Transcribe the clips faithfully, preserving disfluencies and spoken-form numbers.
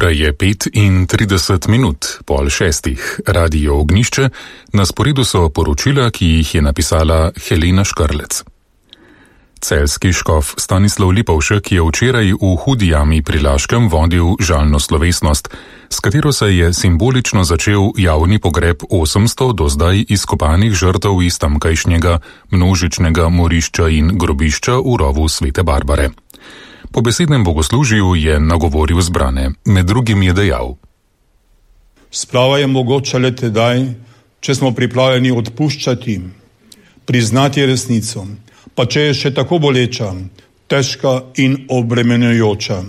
Ura je pet in trideset minut, pol šestih. Radio Ognjišče, na sporedu so poročila, ki jih je napisala Helena Škrlec. Celjski škof Stanislav Lipovšek je včeraj v Hudi jami pri Laškem vodil žalno slovesnost, s katero se je simbolično začel javni pogreb osemsto do zdaj izkopanih žrtev iz tamkajšnjega množičnega morišča in grobišča v rovu Svete Barbare. Po besednem bogoslužju je nagovoril zbrane. Med drugim je dejal: Splava je mogoča le tedaj, če smo pripravljeni odpuščati, priznati resnico, pa če je še tako boleča, težka in obremenjujoča.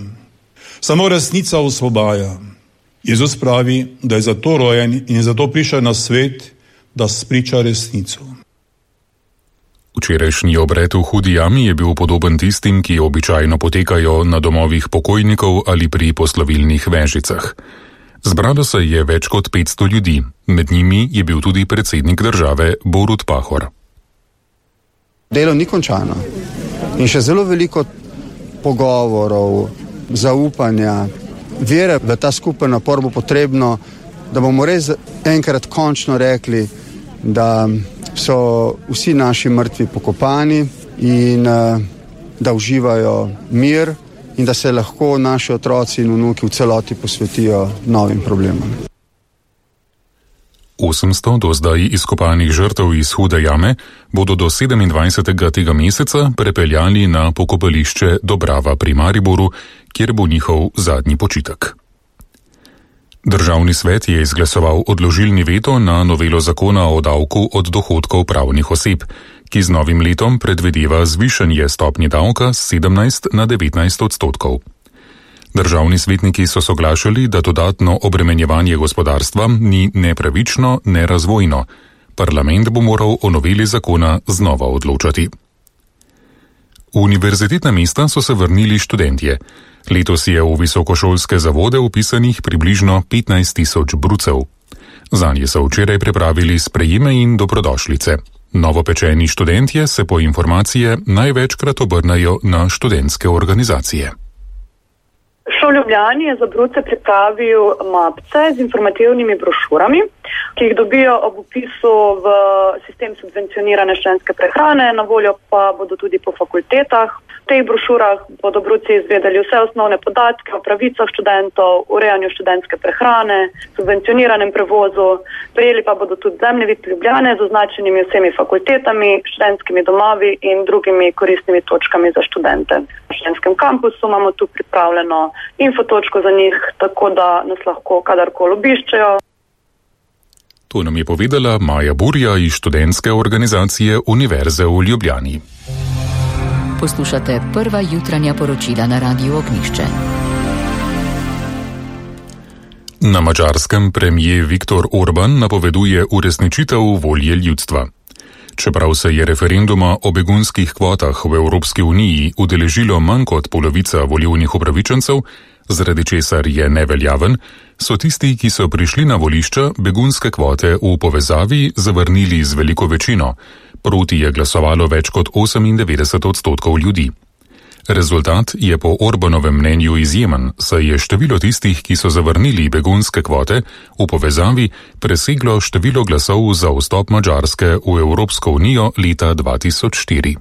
Samo resnica osvobaja. Jezus pravi, da je zato rojen in zato prišel na svet, da spriča resnico. Včerajšnji obred v Hudi jami je bil podoben tistim, ki običajno potekajo na domovih pokojnikov ali pri poslovilnih vežicah. Zbralo se je več kot petsto ljudi, med njimi je bil tudi predsednik države Borut Pahor. Delo ni končano in še zelo veliko pogovorov, zaupanja, vere v ta skupen napor bo potrebno, da bomo res enkrat končno rekli, da so vsi naši mrtvi pokopani in da uživajo mir in da se lahko naši otroci in vnuki v celoti posvetijo novim problemom. osemsto do zdaj izkopanih žrtev iz Hude jame bodo do sedemindvajsetega tega meseca prepeljali na pokopališče Dobrava pri Mariboru, kjer bo njihov zadnji počitek. Državni svet je izglasoval odložilni veto na novelo zakona o davku od dohodkov pravnih oseb, ki z novim letom predvideva zvišanje stopnje davka s sedemnajst na devetnajst odstotkov. Državni svetniki so soglašali, da dodatno obremenjevanje gospodarstva ni nepravično, ne razvojno. Parlament bo moral o noveli zakona znova odločati. V univerzitetna mesta so se vrnili študentje. Letos je v visokošolske zavode vpisanih približno petnajst tisoč brucev. Zanje so včeraj pripravili sprejeme in dobrodošlice. Novopečeni študentje se po informacije največkrat obrnajo na študentske organizacije. Šol v Ljubljani je za bruce pripravil mapce z informativnimi brošurami, ki jih dobijo ob vpisu v sistem subvencionirane študentske prehrane, na voljo pa bodo tudi po fakultetah. V teh brošurah bodo bruci izvedeli vse osnovne podatke o pravicah študentov, urejanju študentske prehrane, subvencioniranem prevozu, prejeli pa bodo tudi zemljevid Ljubljane z označenimi vsemi fakultetami, študentskimi domovi in drugimi koristnimi točkami za študente. V študentskem kampusu imamo tu pripravljeno infotočko za njih, tako da nas lahko kadarkoli obiščejo. To nam je povedala Maja Burja iz študentske organizacije Univerze v Ljubljani. Poslušate prva jutranja poročila na Radiu Ognjišče. Na Madžarskem premijer Viktor Orban napoveduje uresničitev volje ljudstva. Čeprav se je referenduma o begunskih kvotah v Evropski uniji udeležilo manj kot polovica volilnih upravičencev, zaradi česar je neveljaven, so tisti, ki so prišli na volišča, begunske kvote v povezavi zavrnili z veliko večino. Proti je glasovalo več kot osemindevetdeset odstotkov ljudi. Rezultat je po Orbanovem mnenju izjemen, saj je število tistih, ki so zavrnili begunske kvote, v povezavi preseglo število glasov za vstop Madžarske v Evropsko unijo leta dva tisoč štiri.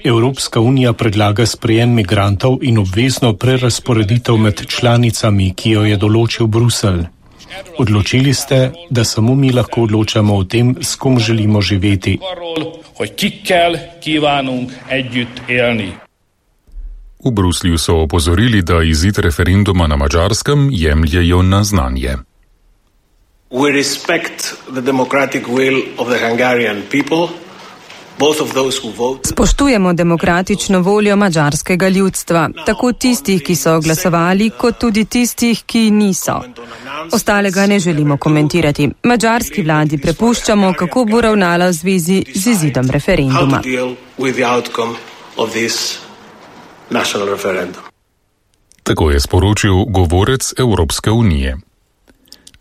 Evropska unija predlaga sprejem migrantov in obvezno prerazporeditev med članicami, ki jo je določil Bruselj. Odločili ste, da samo mi lahko odločamo o tem, s kom želimo živeti. V Bruslju so opozorili, da izid referenduma na Madžarskem jemljejo na znanje. We respect the democratic will of the Hungarian people. Spoštujemo demokratično voljo madžarskega ljudstva, tako tistih, ki so glasovali, kot tudi tistih, ki niso. Ostalega ne želimo komentirati. Madžarski vladi prepuščamo, kako bo ravnala v zvezi z izidom referenduma. Tako je sporočil govorec Evropske unije.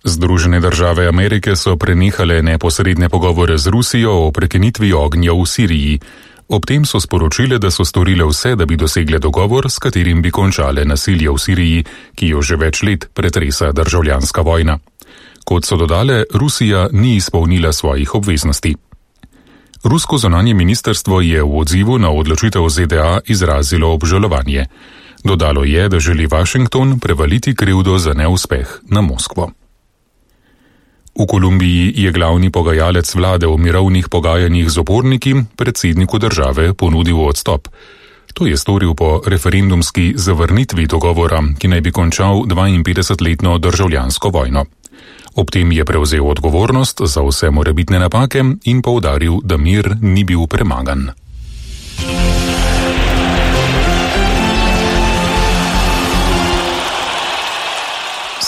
Združene države Amerike so prenehale neposredne pogovore z Rusijo o prekinitvi ognja v Siriji. Ob tem so sporočile, da so storile vse, da bi dosegle dogovor, s katerim bi končale nasilje v Siriji, ki jo že več let pretresa državljanska vojna. Kot so dodale, Rusija ni izpolnila svojih obveznosti. Rusko zunanje ministrstvo je v odzivu na odločitev Z D A izrazilo obžalovanje. Dodalo je, da želi Washington prevaliti krivdo za neuspeh na Moskvo. V Kolumbiji je glavni pogajalec vlade v mirovnih pogajanjih z uporniki predsedniku države ponudil odstop. To je storil po referendumski zavrnitvi dogovora, ki naj bi končal dvainpetdesetletno državljansko vojno. Ob tem je prevzel odgovornost za vse morebitne napake in poudaril, da mir ni bil premagan.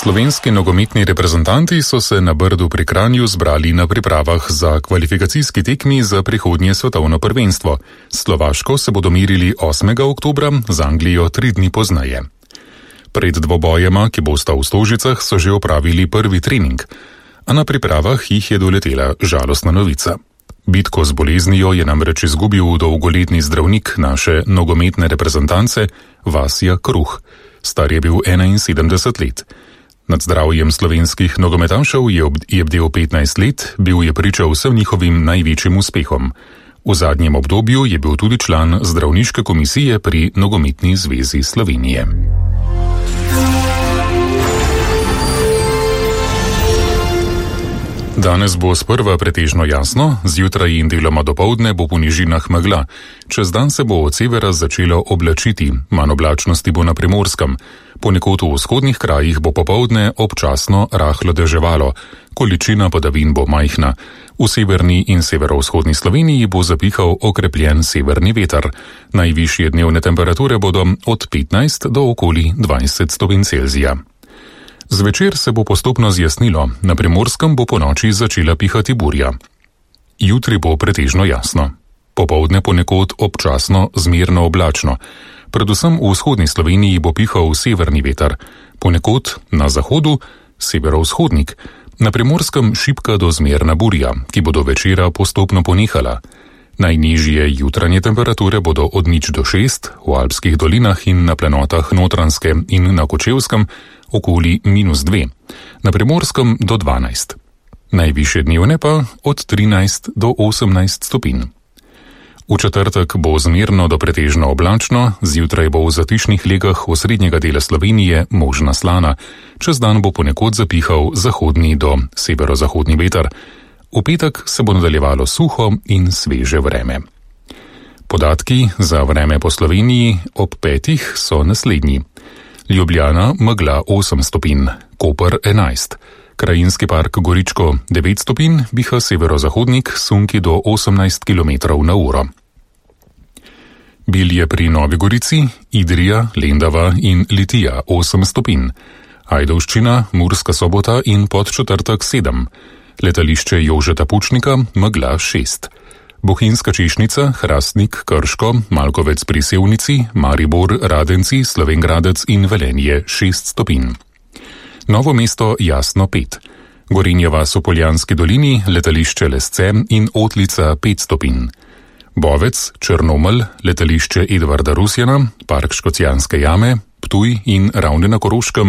Slovenski nogometni reprezentanti so se na Brdu pri Kranju zbrali na pripravah za kvalifikacijski tekmi za prihodnje svetovno prvenstvo. S Slovaško se bodo merili osmega oktobra, z Anglijo tri dni pozneje. Pred dvobojema, ki bosta v Stožicah, so že opravili prvi trening, a na pripravah jih je doletela žalostna novica. Bitko z boleznijo je namreč izgubil dolgoletni zdravnik naše nogometne reprezentance Vasja Kruh. Star je bil enainsedemdeset let. Nad zdravjem slovenskih nogometašev je, ob, je bdel petnajst let, bil je priča vsem njihovim največjim uspehom. V zadnjem obdobju je bil tudi član zdravniške komisije pri Nogometni zvezi Slovenije. Danes bo sprva pretežno jasno, zjutraj in deloma dopoldne bo po nižinah megla. Čez dan se bo od severa začelo oblačiti, manj oblačnosti bo na Primorskem. Ponekod v vzhodnih krajih bo popoldne občasno rahlo deževalo, količina padavin bo majhna. V severni in severovzhodni Sloveniji bo zapihal okrepljen severni veter. Najvišje dnevne temperature bodo od petnajst do okoli dvajset stopinj Celzija. Zvečer se bo postopno zjasnilo, na Primorskem bo ponoči začela pihati burja. Jutri bo pretežno jasno. Popoldne ponekod občasno zmerno oblačno. Predvsem v vzhodni Sloveniji bo pihal severni veter, ponekod na zahodu severovzhodnik, na Primorskem šibka do zmerna burja, ki bo do večera postopno ponehala. Najnižje jutranje temperature bodo od nič do šest, v alpskih dolinah in na planotah Notranjske in na Kočevskem okoli minus dve, na Primorskem do dvanajst. Najvišje dnevne pa od trinajst do osemnajst stopinj. V četrtek bo zmerno do pretežno oblačno, zjutraj bo v zatišnih legah osrednjega dela Slovenije možna slana, čez dan bo ponekod zapihal zahodni do severozahodni veter. V petek se bo nadaljevalo suho in sveže vreme. Podatki za vreme po Sloveniji ob petih so naslednji. Ljubljana megla osem stopinj, Koper enajst, Krajinski park Goričko devet stopinj, biha severozahodnik sunki do osemnajst kilometrov na uro. Bilje pri Novi Gorici, Idrija, Lendava in Litija osem stopinj, Ajdovščina, Murska Sobota in Podčetrtek sedem, letališče Jožeta Pučnika megla šest. Bohinjska Češnica, Hrastnik, Krško, Malkovec pri Sevnici, Maribor, Radenci, Slovenj Gradec in Velenje šest stopinj. Novo mesto jasno pet. Gorenja vas v Poljanski dolini, letališče Lesce in Otlica pet stopinj. Bovec, Črnomelj, letališče Edvarda Rusjana, park Škocjanske jame, Ptuj in Ravne na Koroškem